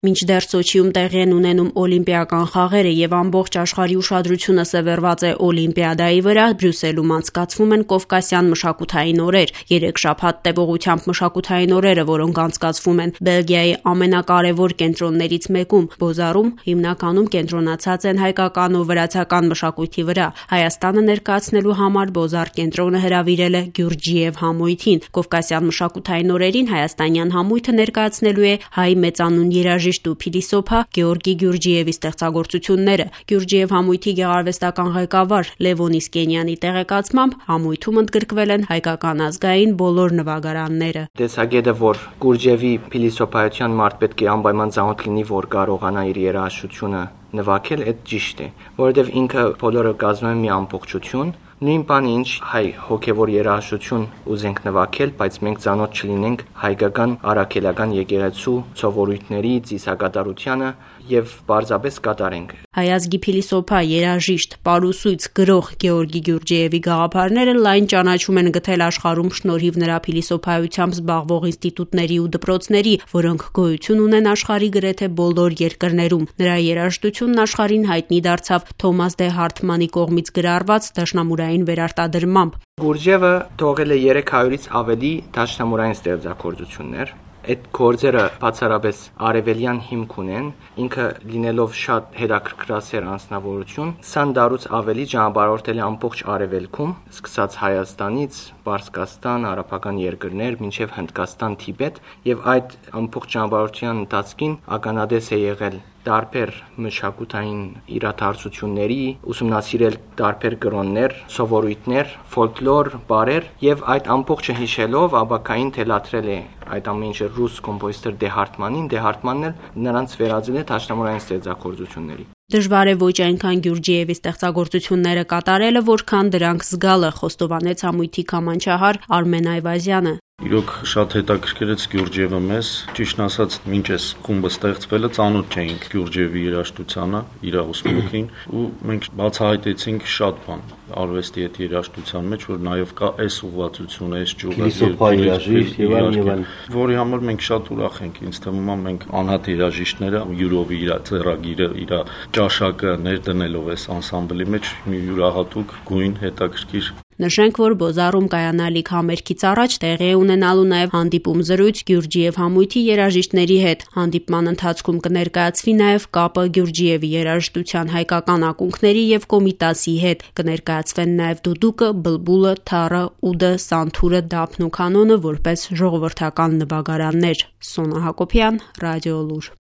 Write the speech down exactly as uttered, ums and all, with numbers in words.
Մինչդեռ Սոչիում տեղի են ունենում օլիմպիական խաղերը եւ ամբողջ աշխարհի ուշադրությունը սևեռված է Օլիմպիադայի վրա, Բրյուսելում անցկացվում են Կովկասյան մշակութային օրեր։ Երեք շաբաթ տևողությամբ մշակութային օրերը, որոնք անցկացվում են Բելգիայի ամենակարևոր կենտրոններից մեկում՝ Բոզարում, հիմնականում կենտրոնացած են հայկական ու վրացական մշակույթի վրա։ Հայաստանը ներկայացնելու համար Բոզար կենտրոնը հրավիրել է Գյուրջիև համույթին։ Կովկասյան մշակութային օրերին հայաստանյան համույթը ներկայացնելու է հայ մեծանուն երաժիշտ ու փիլիսոփա Գեորգի Գյուրջիևի ստեղծագործությունները։ Գյուրջիև համույթի գեղարվեստական ղեկավար Լևոն Իսկենյանի տեղեկացմամբ համույթում ընդգրկվել են հայկական ազգային բոլոր նվագարանները։ Տեսագետը, որ Գյուրջիևի փիլիսոփայության մարդ պետք է անպայման ծանոթ լինի, որ կարողանա իր երաժշտությունը նվագել, այդ ճիշտ է, որովհետև ինքը բոլորը կազմում է մի ամբողջություն։ Նույն բանը ինչ հայ հոգևոր երաժշտություն ուզենք նվագել, բայց մենք ծանոթ չլինենք հայկական առաքելական եկեղեցու սովորույթների, ծիսակատարությանը եւ պարզապես կատարենք։ Հայ ազգի փիլիսոփա, երաժիշտ, պարուսույց, գրող Գեորգի Գյուրջիևի գաղափարները լայն ճանաչում են գտել աշխարհում շնորհիվ նրա փիլիսոփայությամբ զբաղվող ինստիտուտների ու դպրոցների, որոնք գոյություն ունեն աշխարհի գրեթե բոլոր երկրներում։ Նրա երաժշտությունն աշխարհին հայտնի դարձավ Թոմաս դե Հարթմանի կողմից գրառված դաշնամուրային վերարտադրմամբ։ Գյուրջիևը թողել է երեք հարյուրից ավելի դաշնամուրային ստեղծագործություններ։ Այդ գործերը բացառապես արևելյան հիմք ունեն, ինքը լինելով շատ հետաքրքրասեր անձնավորություն, քսան տարուց ավելի ճանապարհորդել է ամբողջ արևելքում, սկսած Հայաստանից, Պարսկաստան, արաբական երկրներ, մինչև Հնդկաստան, Թիբետ, եւ այդ ամբողջ ճանապարհորդության ընթացքին ականադես է եղել տարբեր մշակութային իրադարձությունների, ուսումնասիրել տարբեր կրոններ, սովորույթներ, ֆոլկլոր, բարեր եւ այդ ամբողջը հիշելով ապակային թելադրել է այդ ամենը ռուս կոմպոզիտոր Դե Հարթմանին, Դե Հարթմանն էլ նրանց վերածել է դաշնամուրային ստեղծագործությունների։ Դժվար է ոչ այնքան Գյուրջիևի ստեղծագործությունները կատարելը, որքան դրանք զգալը, խոստովանեց համույթի քամանչահար Արմեն Այվազյանը։ Իրոք շատ հետաքրքրեց Գյուրջիևը մեզ, ճիշտն ասած, մինչ այս խումբը ստեղծվելը ծանոթ չէինք Գյուրջիևի երաժշտությանը, իր ուսմունքին, ու մենք բացահայտեցինք շատ բան արվեստի հետ երաժշտության մեջ, որ նաև կա այս ուղղվածությունը, այս ճյուղը, երաժիշտ եւ այլն եւ այլն, որի համար մենք շատ ուրախ ենք։ Ինձ թվում է մենք անհատ երաժիշտները յուրով իր ծերագիրը, իր ճաշակը ներդնելով այս անսամբլի մեջ մի յուրահատուկ գույն հետաքրքիր։ Նշենք, որ Բոզարում կայանալիք համերգից առաջ տեղի է ունենալու նաև հանդիպում զրույց Գյուրջիև համույթի երաժիշտների հետ։ Հանդիպման ընթացքում կներկայացվի նաև կապը Գյուրջիևի երաժշտության հայկական ակունքների եւ Կոմիտասի հետ։ Կներկայացվեն նաև դուդուկը, բլբուլը, թառը, ուդը, սանթուրը, դափն ու կանոնը որպես ժողովրդական նվագարաններ։ Սոնա Հակոբյան, Ռադիո Լուր։